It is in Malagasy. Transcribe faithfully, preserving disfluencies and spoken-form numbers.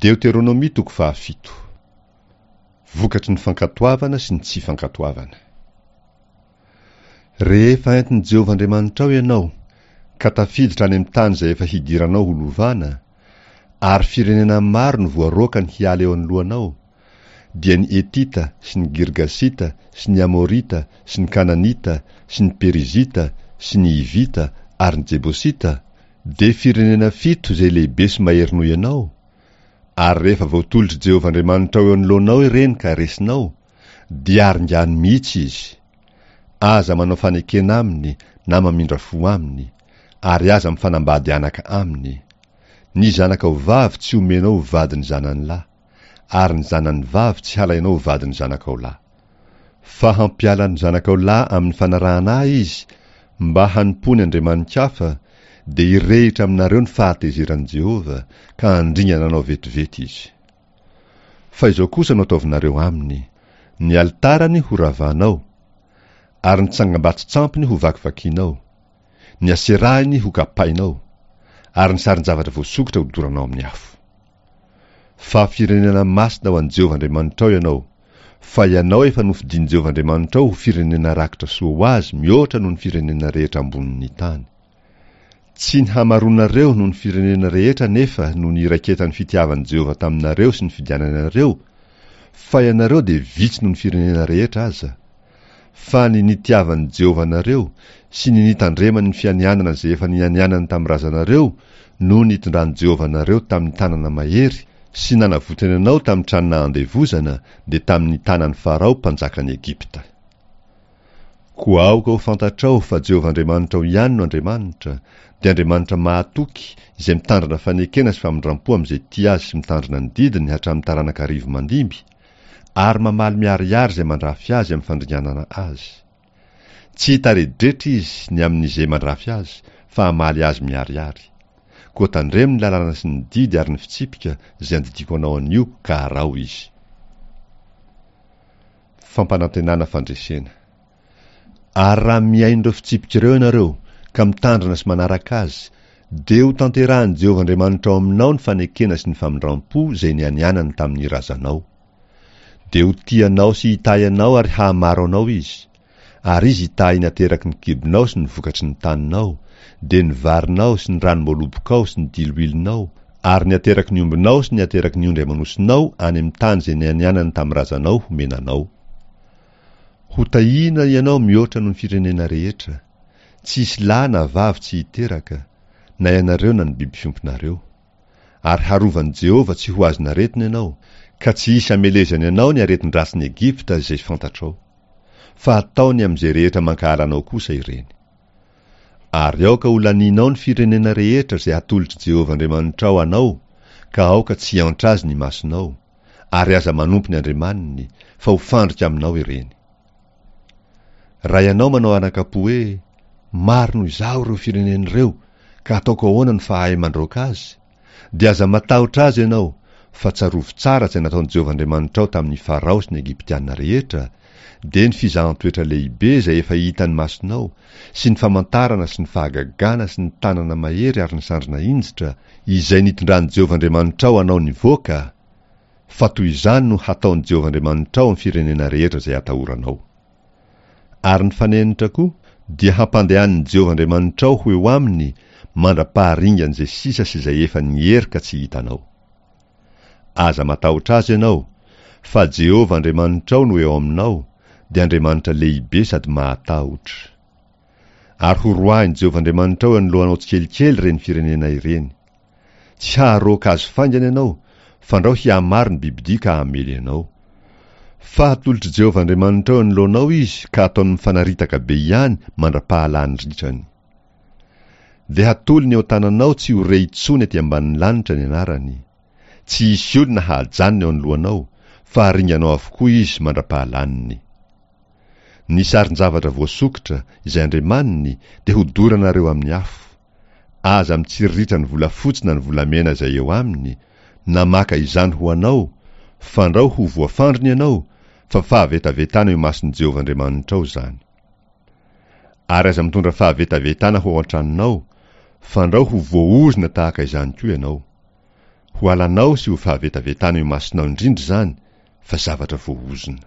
Deoteronomia toko fahafito. Vokatry ny fankatoavana sy ny tsy fankatoavana. Rehefa entin'i Jehovah Andriamanitrao ianao, ka tafiditra any amin'ny tany izay efa hidiranao ho lovana, ary firenena maro no voaroakany hiala eo anoloanao, dia ny Hetita sy ny Girgasita sy ny Amorita sy ny Kananita sy ny Perizita sy ny Hivita ary ny Jebosita, dia firenena fito izay lehibe sy mahery noho ianao, ary rehefa voatolotr'i Jehovah Andriamanitrao eo anoloanao ireny ka resinao, dia aringano mihitsy izy. Aza manao fanekena aminy na mamindra fo aminy, ary aza mifanambady anaka aminy. Ny zanakao vavy tsy omenao ho vadin'ny zanany lahy, ary ny zanany vavy tsy halainao ho vadin'ny zanakao lahy. Fa hampiala ny zanakao lahy amin'ny fanarahana ahy izy mba hanompoany andriamani-kafa, dia hirehitra aminareo ny fahatezeran'i Jehovah, ka handringana anao vetivety izy. Fa izao kosa no ataovinareo aminy, ny alitarany horavanao, ary ny tsangambato-tsampiny hovakivakinao, ny aserahiny hokapainao, ary ny sarin-javatra voasokitra hodoranao amin'ny afo. Fa firenena masina ho an'i Jehovah Andriamanitrao ianao, fa ianao efa nofidin'i Jehovah Andriamanitrao ho firenena rakitra soa ho azy mihoatra noho ny firenena rehetra ambonin'ny tany. Tsy ny hamaroanareo noho ny firenena rehetra anefa no niraiketan'ny fitiavan'i Jehovah taminareo sy ny fidianany anareo, fa ianareo dia vitsy noho ny firenena rehetra aza. Fa ny nitiavan'i Jehovah anareo sy ny nitandremany ny fianianana izay efa nianianany tamin'ny razanareo no nitondran'i Jehovah anareo tamin'ny tanana mahery sy nanavotany anao tamin'ny trano nahandevozana, dia tamin'ny tanan'i Farao mpanjakan'i Egypta. Koa aoka ho fantatrao fa Jehovah Andriamanitrao ihany no Andriamanitra, dia Andriamanitra mahatoky izay mitandrina fanekena sy famindram-po amin'izay tia azy sy mitandrina ny didiny hatramin'ny taranaka arivo mandimby, ary mamaly miharihary izay mandrafy azy amin'ny fandringanana azy. Tsy hitaredretra izy ny amin'izay mandrafy azy, fa hamaly azy miharihary. Koa tandremo ny lalàna sy ny didy ary ny fitsipika izay andidiako anao anio ka araho izy. Fampanantenana fandresena. Ary raha mihaino ireo fitsipika ireo ianareo, ka mitandrina sy manaraka azy, dia ho tanterahin'i Jehovah Andriamanitrao aminao ny fanekena sy ny famindram-po izay nianianany tamin'ny razanao. Dia ho tia anao sy hitahy anao ary hahamaro anao izy. Ary izy hitahy ny ateraky ny kibonao sy ny vokatry ny taninao, dia ny varinao sy ny ranom-boalobokao sy ny diloilonao, ary ny ateraky ny ombinao sy ny ateraky ny ondry aman'osinao any amin'ny tany izay nianianany tamin'ny razanao homena anao. Ho tahiana ianao mihoatra noho ny firenena rehetra. Tsy hisy lahy na vavy tsy hiteraka, na ianareo na ny biby fiompinareo. Ary harovan'i Jehovah tsy ho azon'aretina ianao, ka tsy hisy hamelezany anao ny aretin-dratsin'i Egypta izay fantatrao. Fa hataony amin'izay rehetra mankahala anao kosa ireny. Ary aoka ho laninao ny firenena rehetra izay hatolotr'i Jehovah Andriamanitrao anao, ka aoka tsy hiantra azy ny masonao, ary aza manompo ny andriamaniny, fa ho fandrika aminao ireny. Raha ianao manao anakapo hoe, maro noho izaho ireo firenena ireo, ka ataoko ahoana no fahay mandroaka azy? Dia aza matahotra azy ianao, fa tsarovy tsara izay nataon'i Jehovah Andriamanitrao tamin'ny Farao sy ny Egyptiana rehetra, dia ny fizahan-toetra lehibe izay efa hitan'ny masonao, sy ny famantarana sy ny fahagagana sy ny tanana mahery ary ny sandry nahinjitra, izay nitondran'i Jehovah Andriamanitrao anao nivoaka, fa toy izany no hataon'i Jehovah Andriamanitrao amin'ny firenena rehetra izay atahoranao. Ary ny fanenitra koa dia hampandehanin'i Jehovah Andriamanitrao ho eo aminy mandra-paharingan'izay sisa sy izay efa niery ka tsy hitanao. Aza matahotra azy ianao, fa Jehovah Andriamanitrao no eo aminao, dia Andriamanitra lehibe sady mahatahotra. Ary horoahin'i Jehovah Andriamanitrao eo anoloanao tsikelikely ireny firenena ireny. Tsy haharoaka azy faingana ianao, fandrao hihamaro ny bibidia ka hamely anao. Fa hatolotr'i Jehovah Andriamanitrao eo anoloanao izy ka ataony mifanaritaka be ihany mandra-pahalany ritrany. Dia hatolony eo an-tananao tsy ho re intsony aty ambanin'ny lanitra ny anarany. Tsy hisy olona hahajanona eo anoloanao, fa haringanao avokoa izy mandra-pahalaniny. Ny sarin-javatra voasokitra, izay andriamaniny, dia hodoranareo amin'ny afo. Aza mitsiriritra ny volafotsy na ny volamena izay eo aminy, na maka izany ho anao, fandrao ho voafandriny ianao, fa fahavetavetana eo imason'i Jehovah Andriamanitrao izany. Ary aza mitondra fahavetavetana ho ao an-tranonao, fandrao ho voaozona tahaka izany koa ianao. Ho halanao sy ho fahavetavetana eo imasonao indrindra izany, fa zavatra voaozona.